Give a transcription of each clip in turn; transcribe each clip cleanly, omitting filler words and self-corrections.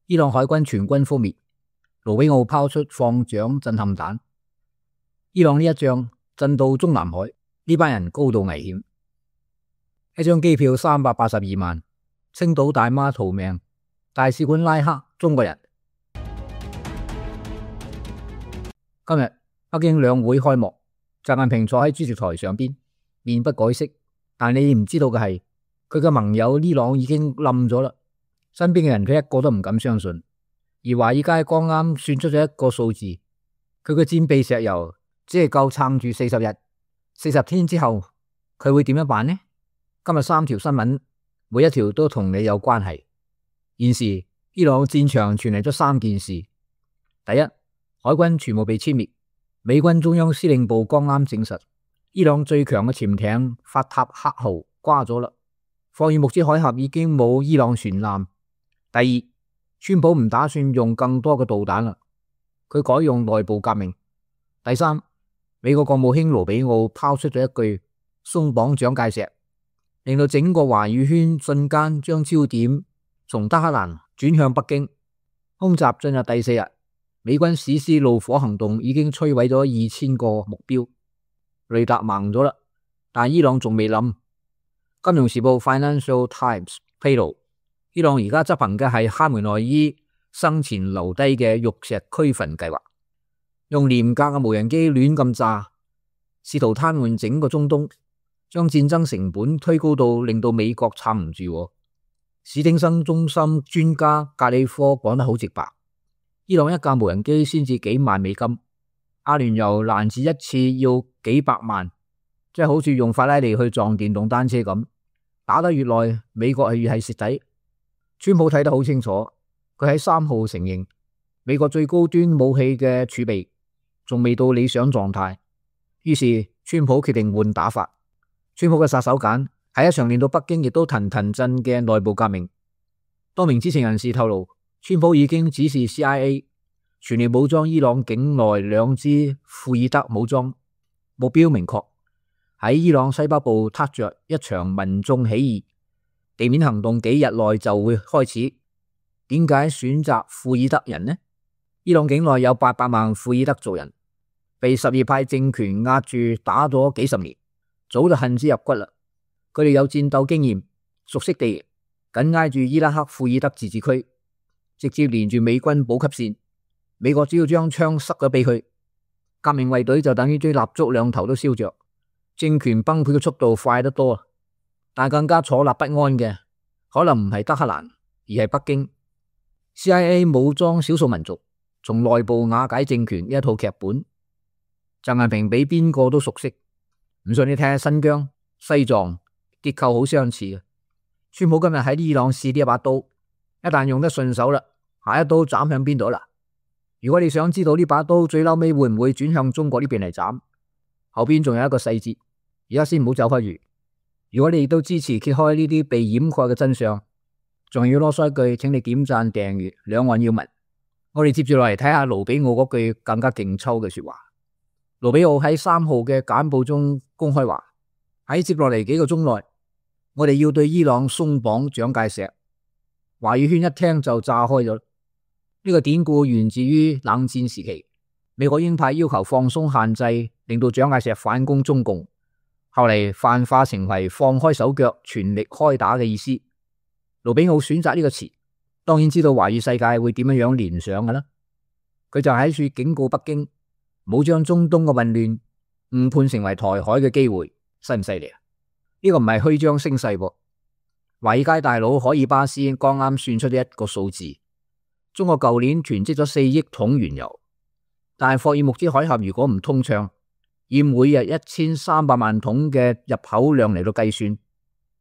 伊朗海軍全軍覆滅，盧比奧拋出放蔣震撼彈。伊朗呢一仗震到中南海，呢班人高度危險。一張機票382萬，青島大媽逃命，大使館拉黑中國人。今日北京兩會開幕，習近平坐喺主席台上邊，面不改色，但你唔知道嘅係，佢嘅盟友伊朗已經冧咗啦。身邊嘅人佢一個都唔敢相信。而華爾街剛啱算出咗一個數字，佢嘅戰備石油只係夠撐住40日，40天之後佢會點樣辦呢？今日3條新聞，每一條都同你有關係。現時伊朗戰場傳嚟咗3件事：第一，海軍全部被殲滅，美軍中央司令部剛啱證實，伊朗最強嘅潛艇法塔赫號瓜咗啦，霍爾木茲海峽已經冇伊朗船艦。第二，川普唔打算用更多嘅導彈啦，佢改用內部革命。第三，美國國務卿盧比奧拋出咗一句鬆綁蔣介石，令到整個華語圈瞬間將焦點從德黑蘭轉向北京。空襲進入第4日，美軍史詩怒火行動已經摧毀咗2000個目標，雷達盲咗啦，但伊朗仲未冧。金融時報 Financial Times 披露，伊朗而家執行嘅係哈梅內伊生前留低嘅玉石俱焚計劃，用廉價嘅無人機亂咁炸，試圖癱瘓整個中東，將戰爭成本推高到令到美國撐唔住。史丁生中心專家格里科講得好直白，伊朗一架無人機先至幾萬美金，阿聯酋攔截一次要幾百萬，即係好似用法拉利去撞電動單車咁，打得越耐，美國係越係蝕底。川普睇得好清楚，佢喺3號承認美國最高端武器嘅儲備仲未到理想狀態，於是川普決定換打法。川普嘅殺手鐧係一場令到北京亦都騰騰震嘅內部革命。多名知情人士透露，川普已經指示 CIA 全力武裝伊朗境內2支庫爾德武裝，目標明確，喺伊朗西北部撻着一場民眾起義，地面行動幾日內就會開始。點解選擇庫爾德人呢？伊朗境內有800萬庫爾德族人，被什葉派政權壓住打咗幾十年，早就恨之入骨啦。佢哋有戰鬥經驗，熟悉地形，緊挨住伊拉克庫爾德自治區，直接連住美軍補給線。美國只要將槍塞咗俾佢，革命衛隊就等於堆蠟燭2頭都燒着，政權崩潰嘅速度快得多。但更加坐立不安嘅，可能唔係德黑蘭，而係北京。CIA 武裝少數民族，從內部瓦解政權呢一套劇本，習近平比邊個都熟悉。唔信你睇下新疆、西藏，結構好相似嘅。川普今日喺伊朗試呢一把刀，一旦用得順手啦，下一刀斬向邊度啦？如果你想知道呢把刀最嬲尾會唔會轉向中國呢邊嚟斬，後邊仲有一個細節，而家先唔好走開住。如果你亦都支持揭開呢啲被掩蓋嘅真相，仲要囉嗦一句，請你點讚訂閱，兩岸要聞。我哋接住落嚟睇下盧比奧嗰句更加勁抽嘅說話。盧比奧喺3號嘅簡報中公開話，喺接落嚟幾個鐘內，我哋要對伊朗鬆綁蔣介石。華語圈一聽就炸開咗。呢個典故源自於冷戰時期，美國鷹派要求放鬆限制，令到蔣介石反攻中共，後嚟泛化成為放開手腳全力開打嘅意思。盧比奧選擇呢個詞，當然知道華語世界會點樣聯想㗎啦。佢就喺處警告北京，冇將中東嘅混亂誤判成為台海嘅機會，犀唔犀利啊？呢個唔係虛張聲勢噃。華爾街大佬海爾巴斯剛啱算出咗一個數字，中國舊年囤積咗4億桶原油，但係霍爾木茲海峽如果唔通暢，以每日1300萬桶嘅入口量嚟到計算，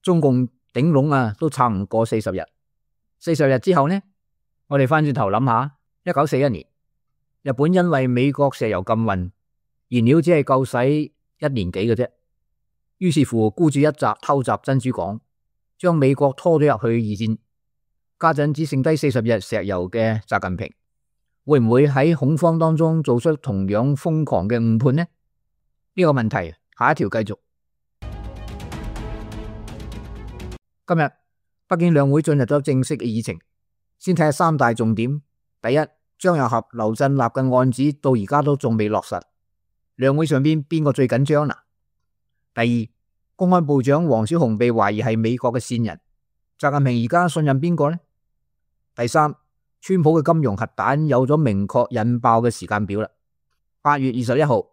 中共頂籠都撐唔過40日。40日之後呢？我哋翻轉頭諗下，1941年，日本因為美國石油禁運，燃料只係夠使1年幾嘅啫。於是乎，孤注一擲偷襲珍珠港，將美國拖咗入去二戰。家陣只剩低40日石油嘅習近平，會唔會喺恐慌當中做出同樣瘋狂嘅誤判呢？呢個問題下一條繼續。今日北京兩會進入咗正式嘅議程，先睇下三大重點。第一，張又俠、劉振立嘅案子到而家都仲未落實，兩會上邊邊個最緊張啦？第二，公安部長王小洪被懷疑係美國嘅線人，習近平而家信任邊個呢？第三，川普嘅金融核彈有咗明確引爆嘅時間表啦。8月21號，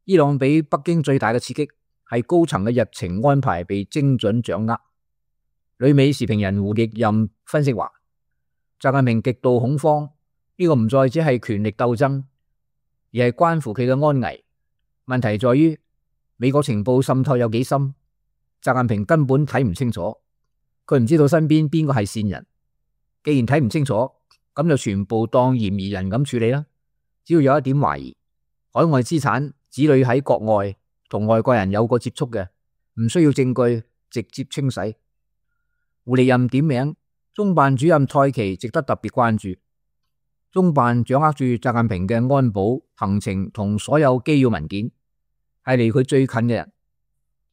伊朗俾北京最大嘅刺激係高層嘅日程安排被精準掌握。旅美時評人胡亦任分析話，習近平極度恐慌，呢個唔再只係權力鬥爭，而係關乎佢嘅安危。問題在於美國情報滲透有幾深，習近平根本睇唔清楚，佢唔知道身邊邊個係線人。既然睇唔清楚，咁就全部當嫌疑人咁處理啦。只要有一點懷疑，海外資產、子女喺國外同外國人有過接觸嘅，唔需要證據，直接清洗。胡亦任點名中辦主任蔡奇值得特別關注。中辦掌握住習近平嘅安保行程同所有機要文件，係離佢最近嘅人。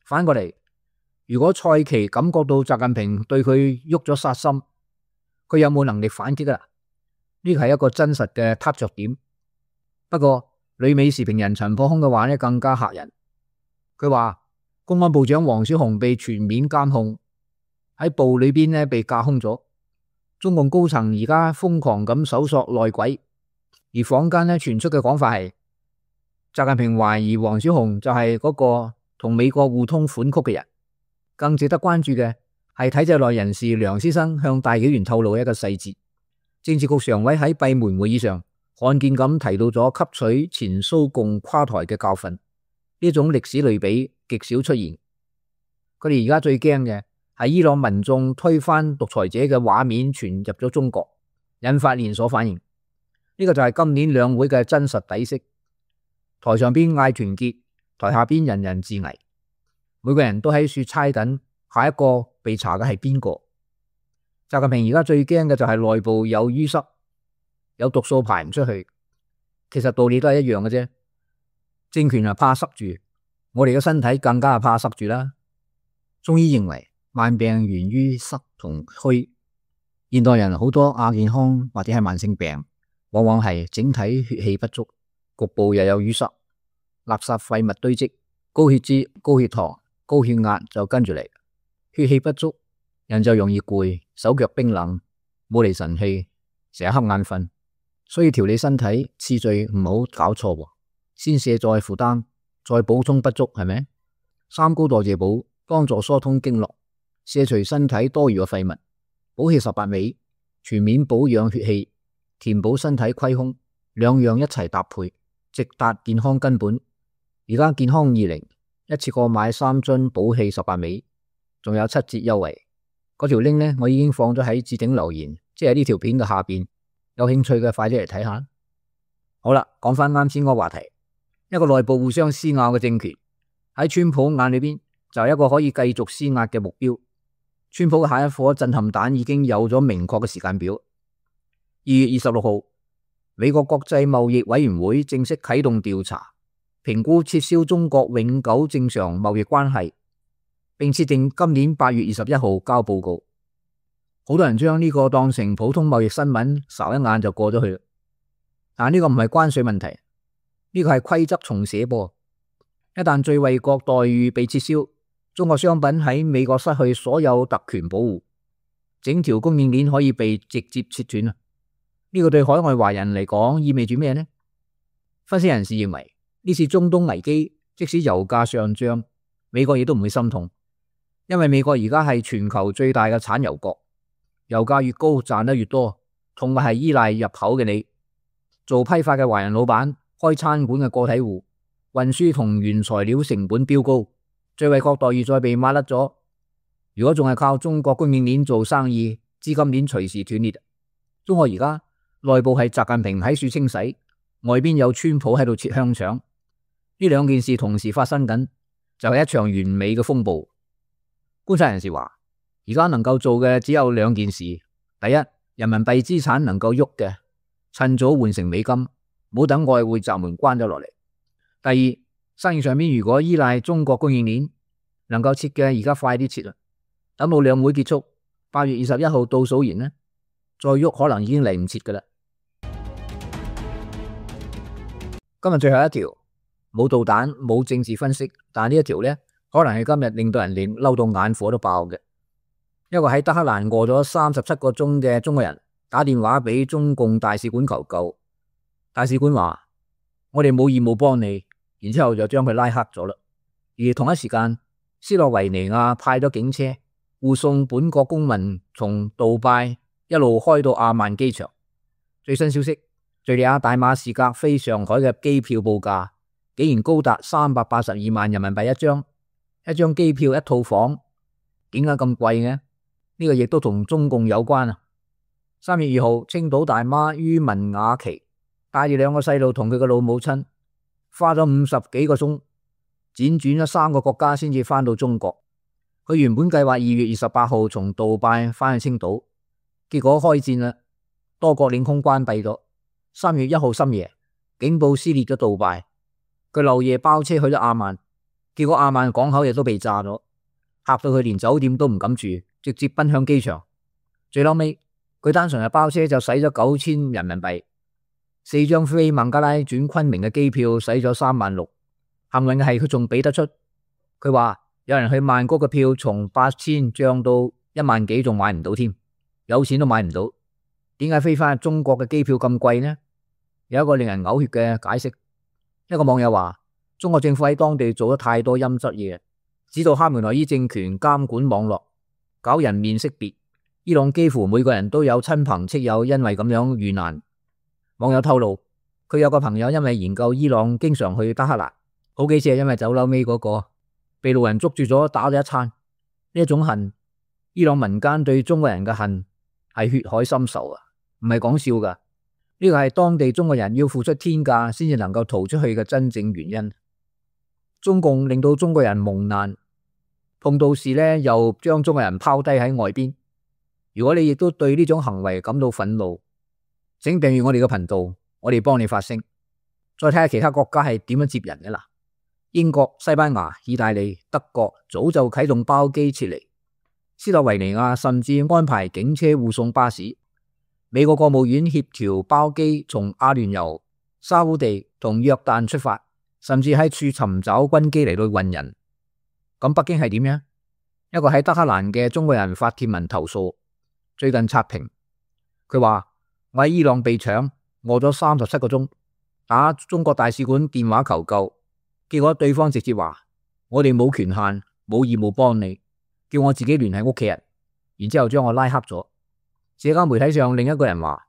反過嚟，如果蔡奇感覺到習近平對佢喐咗殺心，佢有冇能力反擊啊？呢個係一個真實嘅撻着點。不過旅美時評人陳破空嘅話呢更加嚇人。佢話公安部長王小洪被全面監控，喺部裏邊呢被架空咗。中共高層而家瘋狂咁搜索內鬼，而坊間呢傳出嘅講法係習近平懷疑王小洪就係嗰個同美國互通款曲嘅人。更值得關注嘅係體制內人士梁思生向大紀元透露一個細節，政治局常委喺閉門會議上罕見咁提到咗吸取前蘇共垮台嘅教訓，呢種歷史類比極少出現。佢哋而家最驚嘅係伊朗民眾推翻獨裁者嘅畫面傳入咗中國，引發連鎖反應。呢個就係今年兩會嘅真實底色。台上邊嗌團結，台下邊人人自危，每個人都喺處猜緊下一個被查嘅係邊個。習近平而家最驚嘅就係內部有淤塞，有毒素排唔出去。其實道理都係一樣嘅啫。政權係怕塞住，我哋嘅身體更加係怕塞住啦。中醫認為慢病源於塞同虛，現代人好多亞健康或者係慢性病，往往係整體血氣不足，局部又有淤塞，垃圾廢物堆積，高血脂、高血糖、高血壓就跟住嚟。血氣不足，人就容易攰，手腳冰冷，冇嚟神氣，成日瞌眼瞓。所以調理身體次序唔好搞錯，先卸載負擔，再補充不足，係咪？三高代謝補幫助疏通經絡，卸除身體多餘嘅廢物，補氣18味，全面保養血氣，填補身體虧空，兩樣一齊搭配，直達健康根本。而家健康20一次過買3樽補氣18味，仲有7折優惠。嗰條 link 呢，我已經放咗喺置頂留言，即係呢條片嘅下邊。有興趣嘅快啲嚟睇下。好啦，講翻啱先嗰個話題，一個內部互相施壓嘅政權喺川普眼裏邊就係一個可以繼續施壓嘅目標。川普嘅下一顆震撼彈已經有咗明確嘅時間表。2月26號，美國國際貿易委員會正式啟動調查，評估撤銷中國永久正常貿易關係，並設定今年8月21號交報告。好多人將呢個當成普通貿易新聞，睄一眼就過咗去啦。但呢個唔係關稅問題，呢個係規則重寫噃。一旦最惠國待遇被撤銷，中國商品喺美國失去所有特權保護，整條供應鏈可以被直接切斷。呢個對海外華人嚟講意味住咩呢？分析人士認為，呢次中東危機即使油價上漲，美國亦都唔會心痛，因為美國而家係全球最大嘅產油國。油價越高賺得越多，同埋係依賴入口嘅你，做批發嘅華人老闆，開餐館嘅個體戶，運輸同原材料成本飆高，最惠國待遇再被抹甩咗。如果仲係靠中國供應鏈做生意，資金鏈隨時斷裂。中國而家內部係習近平喺處清洗，外邊有川普喺度切香腸，呢兩件事同時發生緊，就係一場完美嘅風暴。觀察人士話，而家能夠做嘅只有2件事：第一，人民幣資產能夠喐嘅，趁早換成美金，唔好等外匯閘門關咗落嚟；第二，生意上面如果依賴中國供應鏈，能夠切嘅而家快啲切啦，等到兩會結束，8月21號倒數完呢，再喐可能已經嚟唔切噶啦。今日最後一條，冇導彈，冇政治分析，但係呢一條呢，可能係今日令到人哋嬲到眼火都爆嘅。一個喺德黑蘭餓咗37個鐘嘅中國人打電話俾中共大使館求救，大使館話我哋冇義務幫你，然之後就將佢拉黑咗啦。而同一時間，斯洛維尼亞派咗警車護送本國公民從杜拜一路開到阿曼機場。最新消息，敘利亞大馬士革飛上海嘅機票報價竟然高達382萬人民幣一張，一張機票一套房，點解咁貴嘅？呢個亦都同中共有關啊！3月2號，青島大媽于文雅琪帶住2個細路同佢嘅老母親，花咗50幾個鐘，輾轉咗3個國家先至翻到中國。佢原本計劃2月28號從杜拜翻去青島，結果開戰啦，多國領空關閉咗。3月1號深夜，警報撕裂咗杜拜，佢漏夜包車去咗阿曼，結果阿曼港口亦都被炸咗，嚇到佢連酒店都唔敢住，直接奔向機場。最後尾，佢單純係包車就使咗9000人民幣，4張飛孟加拉轉昆明嘅機票使咗3萬6。幸運嘅係佢仲俾得出，佢話有人去曼谷嘅票從8000漲到1萬幾，仲買唔到添，有錢都買唔到。點解飛翻去中國嘅機票咁貴呢？有一個令人嘔血嘅解釋。一個網友話，中國政府喺當地做咗太多陰質嘢，指導哈梅內伊政權監管網絡，搞人面識別。伊朗幾乎每個人都有親朋戚友因為咁樣遇難。網友透露，佢有個朋友因為研究伊朗，經常去德黑蘭，好幾次係因為走樓尾嗰個被路人捉住咗打咗一餐。呢一種恨，伊朗民間對中國人嘅恨係血海深仇啊，唔係講笑噶。呢個係當地中國人要付出天價先至能夠逃出去嘅真正原因。中共令到中國人蒙難，碰到事呢又將中國人拋低喺外邊。如果你亦都對呢種行為感到憤怒，請訂閱我哋嘅頻道，我哋幫你發聲。再睇下其他國家係點樣接人嘅啦。英國、西班牙、意大利、德國早就啟動包機撤離，斯洛維尼亞甚至安排警車護送巴士。美國國務院協調包機從阿聯酋、沙烏地同約旦出發，甚至喺處尋找軍機嚟到運人。咁北京係點樣？一個喺德黑蘭嘅中國人發帖文投訴，最近刷屏，佢話我喺伊朗被搶，餓咗37個鐘，打中國大使館電話求救，結果對方直接話我哋冇權限，冇義務幫你，叫我自己聯繫屋企人，然之後將我拉黑咗。社交媒體上另一個人話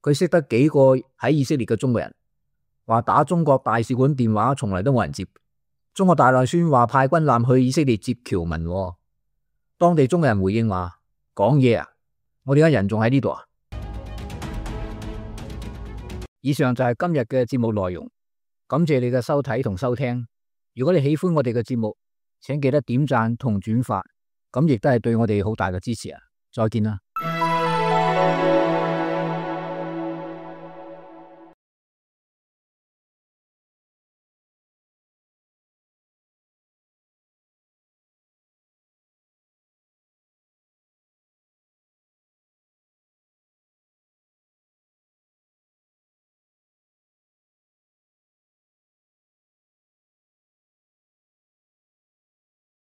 佢識得幾個喺以色列嘅中國人，話打中國大使館電話從來都冇人接。中國大內宣話派軍艦去以色列接僑民，當地中國人回應話講嘢啊，我哋而家人仲喺呢度啊。以上就係今日嘅節目內容，感謝你嘅收睇同收聽。如果你喜歡我哋嘅節目，請記得點讚同轉發，咁亦都係對我哋好大嘅支持啊！再見啦。